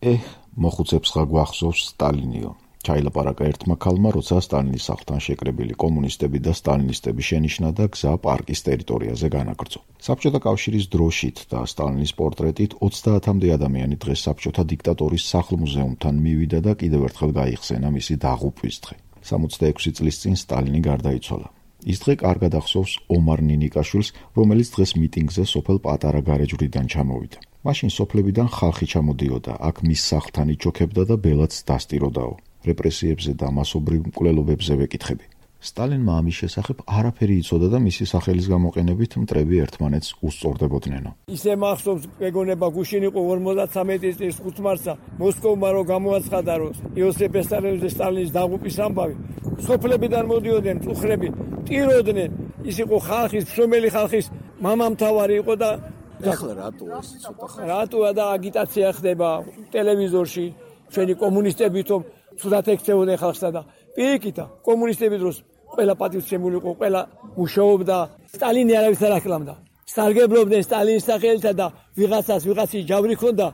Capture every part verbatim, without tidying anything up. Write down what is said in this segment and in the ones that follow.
ეჰ, მოხუცებს ხა გვახსოვს სტალინიო. ჩაილაპარაკა ერთმა ქალმა, როცა სტალინის სახლთან შეკრებილი კომუნისტები და სტალინისტები შენიშნა და გზა პარკის ტერიტორიაზე განაგრძო. საბჭოთა კავშირის დროშით და სტალინის პორტრეტით ოცდაათამდე ადამიანი დღეს საბჭოთა დიქტატორის სახლ-მუზეუმთან მივიდა და კიდევ ერთხელ გაიხსენა მისი დაღუპვის დღე. სამოცდაექვსი წლის წინ სტალინი გარდაიცვალა. ის დღე კარგად ახსოვს ომარ ნინიკაშვილს, რომელიც დღეს მიტინგზე სოფელ პატარა გარეჯვრიდან ჩამოვიდა. მაშინ სოფლებიდან ხალხი ჩამოდიოდა, აქ მის სახლთან იჩოქებდა და ბელადს დასტიროდაო. რეპრესიებზე და მასობრივ მკვლელობებზე ვეკითხები. სტალინმა ამის შესახებ არაფერი იცოდა და მისი სახელის გამოყენებით მტრები ერთმანეთს უსწორდებოდნენო. ისე მახსოვს მეგონება გუშინ იყო ორმოცდათრამეტი წლის ხუთ მარტსა მოსკოვმა რო გამოაცხადა, რომ იოსებ სტალინზე სტალინის დაღუპვის ამბავი. სოფლებიდან მოდიოდნენ წუხრები, ტიროდნენ. ის იყო ხალხის, მშრომელი ხალხის მამამთავარი იყო და ახლა რატოა ეს ცოტა ხალხი? რატოა და აგიტაცია ხდება ტელევიზორში, ჩვენი კომუნისტები თო ცუდად ექცეოდნენ ხალხსა და პირიქითა კომუნისტების დროს ყველა პატივცემული იყო, ყველა მუშაობდა. სტალინი არავის არ აკლამდა. სარგებლობდნენ სტალინის სახელითა და ვიღაცას ვიღაცის ჯავრი ჰქონდა,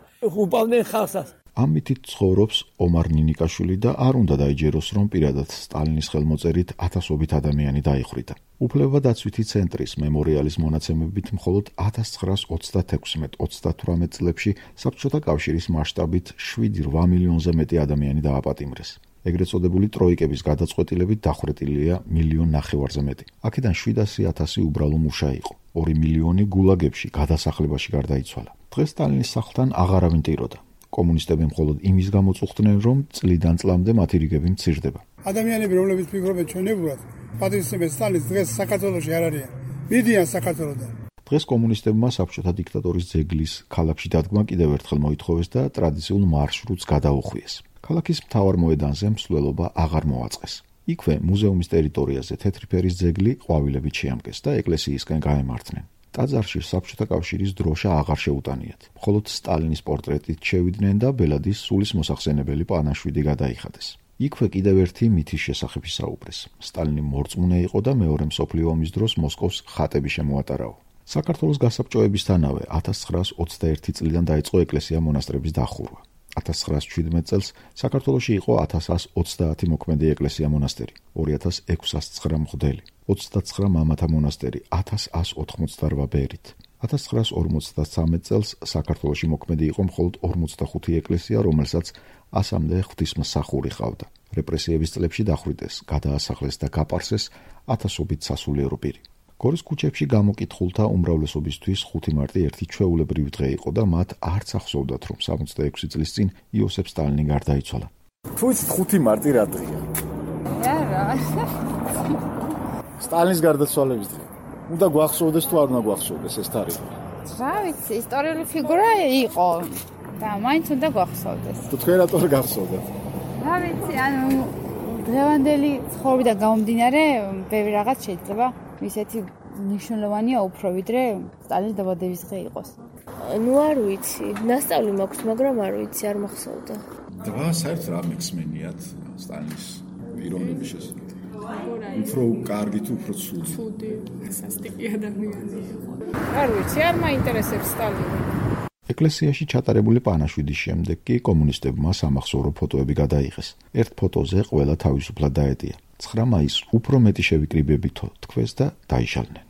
უპავდნენ ხალხსაც. ამ მითით ცხოვრობს ომარ ნინიკაშვილი და არ უნდა დაიჯეროს, რომ პირადად სტალინის ხელმოწერით ათასობით ადამიანი დაიხრიტა. უფლებადაცვითი ცენტრის მემორიალის მონაცემებით მხოლოდ ათას ცხრაას ოცდათექვსმეტ ოცდათვრამეტ წლებში საბჭოთა კავშირის მასშტაბით შვიდი რვა მილიონზე მეტი ადამიანი დააპატიმრეს. ეგრეთ წოდებული ტროიკების გადაწყვეტილებით დახვრეტილია მილიონ ნახევარზე მეტი. აქედან შვიდასი ათასი უბრალო მუშა იყო. ორი მილიონი გულაგებში გადასახლებაში გარდაიცვალა. დღეს სტალინის სახლთან აღარავინ ტიროდა. კომუნისტები მხოლოდ იმის გამო წუხდნენ, რომ წლიდან წლამდე მათი რიგები მცირდება. ადამიანები, რომლებიც ფიქრობენ ჩვენებურად, პატრიოტიზმის სტალინის დღეს საქართველოში არ არიან. მიდიან საქართველოდან. დღეს კომუნისტებმა საბჭოთა დიქტატორის ძეგლის ქალაქში დადგმა კიდევ ერთხელ მოითხოვეს და ტრადიციულ მარშრუტს გადაუხვიეს. ქალაქის მთავარ მოედანზე მსვლელობა აღარ მოაწყეს. იქვე მუზეუმის ტერიტორიაზე თეთრი ფერის ძეგლი ყვავილებით შეამკეს და ეკლესიისკენ გაემართნენ. ტაძარში საბჭოთა კავშირის დროშა აღარ შეუტანიათ. მხოლოდ სტალინის პორტრეტით შევიდნენ და ბელადის სულის მოსახსენებელი პანაშვიდი გადაიხადეს. იქვე კიდევ ერთი მითის შესახებ ისაუბრეს. სტალინი მორწმუნე იყო და მეორე მსოფლიო ომის დროს მოსკოვს ხატები შემოატარაო. საქართველოს გასაბჭოებისთანავე ათას ცხრაას ოცდაერთი წლიდან დაიწყო ეკლესია-მონასტრების დახურვა. ათას ცხრაას შვიდმეტ წელს საქართველოში იყო ათას ას ოცდაათი მოქმედი ეკლესია-მონასტერი, ორი ათას ექვსას ცხრა მღვდელი, ოცდაცხრა მამათა მონასტერი, ათას ას ოთხმოცდარვა ბერით. ათას ცხრაას ორმოცდასამეტ წელს საქართველოში მოქმედი იყო მხოლოდ ორმოცდახუთი ეკლესია, რომელსაც ასამდე ღვთისმსახური ჰყავდა. რეპრესიების წლებში დახვრიტეს, გადაასახლეს და გაპარსეს ათასობით სასულიერო პირი. გორის ქუჩებში გამოკითხულთა უმრავლესობისთვის ხუთი მარტი ერთი ჩვეულებრივი დღე იყო და მათ არც ახსოვდათ, რომ სამოცდაექვსი წლის წინ იოსებ სტალინი გარდაიცვალა. თუ იცით ხუთი მარტი რა დღეა? არა. სტალინის გარდაცვალების დღე. უნდა გვახსოვდეს თუ არ უნდა გვახსოვდეს ეს თარიღი? რა ვიცი, ისტორიული ფიგურა იყო და მაინც უნდა გვახსოვდეს. თუ თქვენ რატო არ გახსოვდათ? რა ვიცი, ანუ დღევანდელი ცხოვრებიდან გამომდინარე, ბევრი რაღაც შეიძლება ისეთი მნიშვნელოვანია უფრო ვიდრე სტალინის დაბადების დღე იყოს. ნუ არ ვიცი, ნასწავლი მაქვს, მაგრამ არ ვიცი, არ მახსოვდა. დღა საერთოდ რა მექსმენიათ სტალინის პიროვნების შესახებ? უფრო კარგი თუ უფრო ცუდი? ცუდი, სასტიკი ადამიანი იყო. არ ვიცი, არ მაინტერესებს სტალინი. ეკლესიაში ჩატარებული პანაშვიდის შემდეგ კი კომუნისტებმა სამახსოვრო ფოტოები გადაიღეს. ერთ ფოტოზე ყველა თავისუფლად დაეტია. ცხრა მაისს უფრო მეტი შევიკრიბებითო თქვეს და დაიშალნენ.